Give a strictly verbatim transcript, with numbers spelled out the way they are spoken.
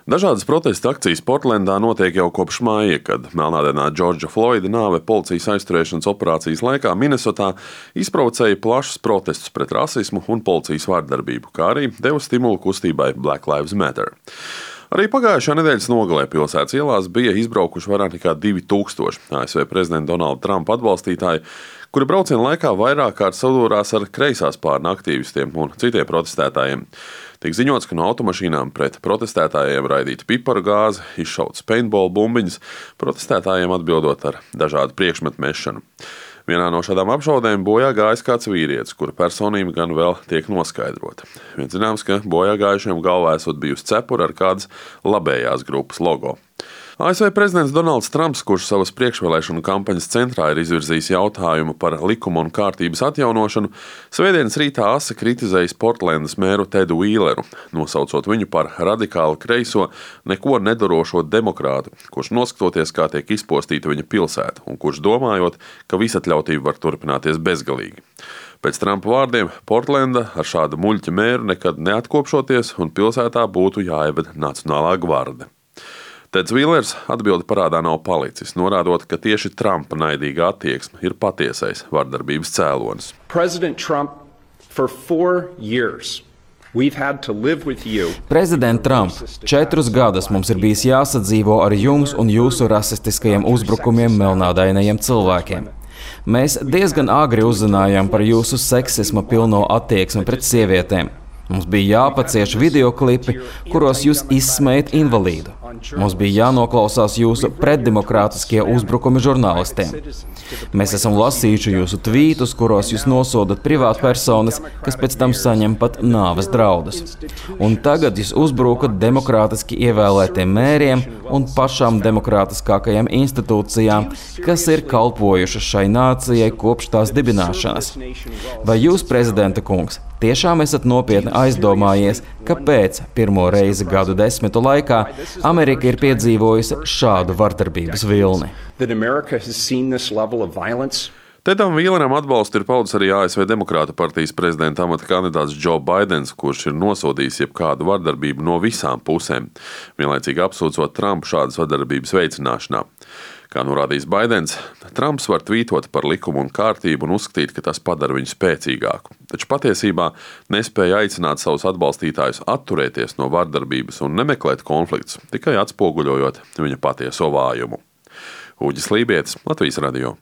Dažādas protesta akcijas Portlendā notiek jau kopš māja, kad melnādainā Džordža Floida nāve policijas aizturēšanas operācijas laikā Minesotā izprovocēja plašus protestus pret rasismu un policijas vardarbību, kā arī deva stimulu kustībai Black Lives Matter. Arī pagājušā nedēļas nogalē pilsētas ielās bija izbraukuši vairāk nekā divi tūkstoši A S V prezidenta Donalda Trumpa atbalstītāji, kuri brauciena laikā vairāk kārt sadūrās ar kreisās spārna aktīvistiem un citiem protestētājiem. Tiek ziņots, ka no automašīnām pret protestētājiem raidīta piparu gāze, izšautas paintball bumbiņas, protestētājiem atbildot ar dažādu priekšmetu mešanu. Vienā no šādām apšaudēm bojā gājis kāds vīrietis, kura personība gan vēl tiek noskaidrota. Viens zināms, ka bojā gājušiem galvā esot bijusi cepura ar kādas labējās grupas logo. A S V prezidents Donalds Trumps, kurš savas priekšvēlēšanu kampaņas centrā ir izvirzījis jautājumu par likuma un kārtības atjaunošanu, svētdienas rītā asi kritizējis Portlendas mēru Tedu Vīleru, nosaucot viņu par radikāli kreiso, neko nedarošo demokrātu, kurš noskatoties, kā tiek izpostīta viņa pilsēta, un kurš domājot, ka visatļautība var turpināties bezgalīgi. Pēc Trumpa vārdiem Portlenda ar šādu muļķa mēru nekad neatkopšoties, un pilsētā būtu jāieved Nacionālā gvarde. Teds Vīlers atbildi parādā nav palicis, norādot, ka tieši Trumpa naidīga attieksme ir patiesais vardarbības cēlonis. President Trump, for four years, we've had to live with you. Prezident Trump, četrus gadus mums ir bijis jāsadzīvo ar jums un jūsu rasistiskajiem uzbrukumiem melnādainajiem cilvēkiem. Mēs diezgan agri uzzinājām par jūsu seksisma pilno attieksmi pret sievietēm. Mums bija jāpacieš videoklipi, kuros jūs izsmējat invalīdu. Mums bija jānoklausās jūsu pretdemokrātiskie uzbrukumi žurnālistiem. Mēs esam lasījuši jūsu tvītus, kuros jūs nosodat privātpersonas, kas pēc tam saņem pat nāves draudus. Un tagad jūs uzbrukat demokrātiski ievēlētiem mēriem un pašām demokrātiskākajām institūcijām, kas ir kalpojušas šai nācijai kopš tās dibināšanas. Vai jūs, prezidenta kungs, tiešām esat nopietni aizdomājies, kāpēc pirmo reizi gadu desmitu laikā Amerika ir piedzīvojusi šādu vardarbības vilni? Tedam Vīleram atbalstu ir paudis arī A S V Demokrātu partijas prezidenta amata kandidāts Joe Baidens, kurš ir nosodījis jebkādu vardarbību no visām pusēm, vienlaicīgi apsūdzot Trumpu šādas vardarbības veicināšanā. Kā norādījis Baidens, Trumps var tvītot par likumu un kārtību un uzskatīt, ka tas padara viņu spēcīgāku, taču patiesībā nespēja aicināt savus atbalstītājus atturēties no vardarbības un nemeklēt konfliktus, tikai atspoguļojot viņa patieso vājumu. Uģis Lībietis, Latvijas radio.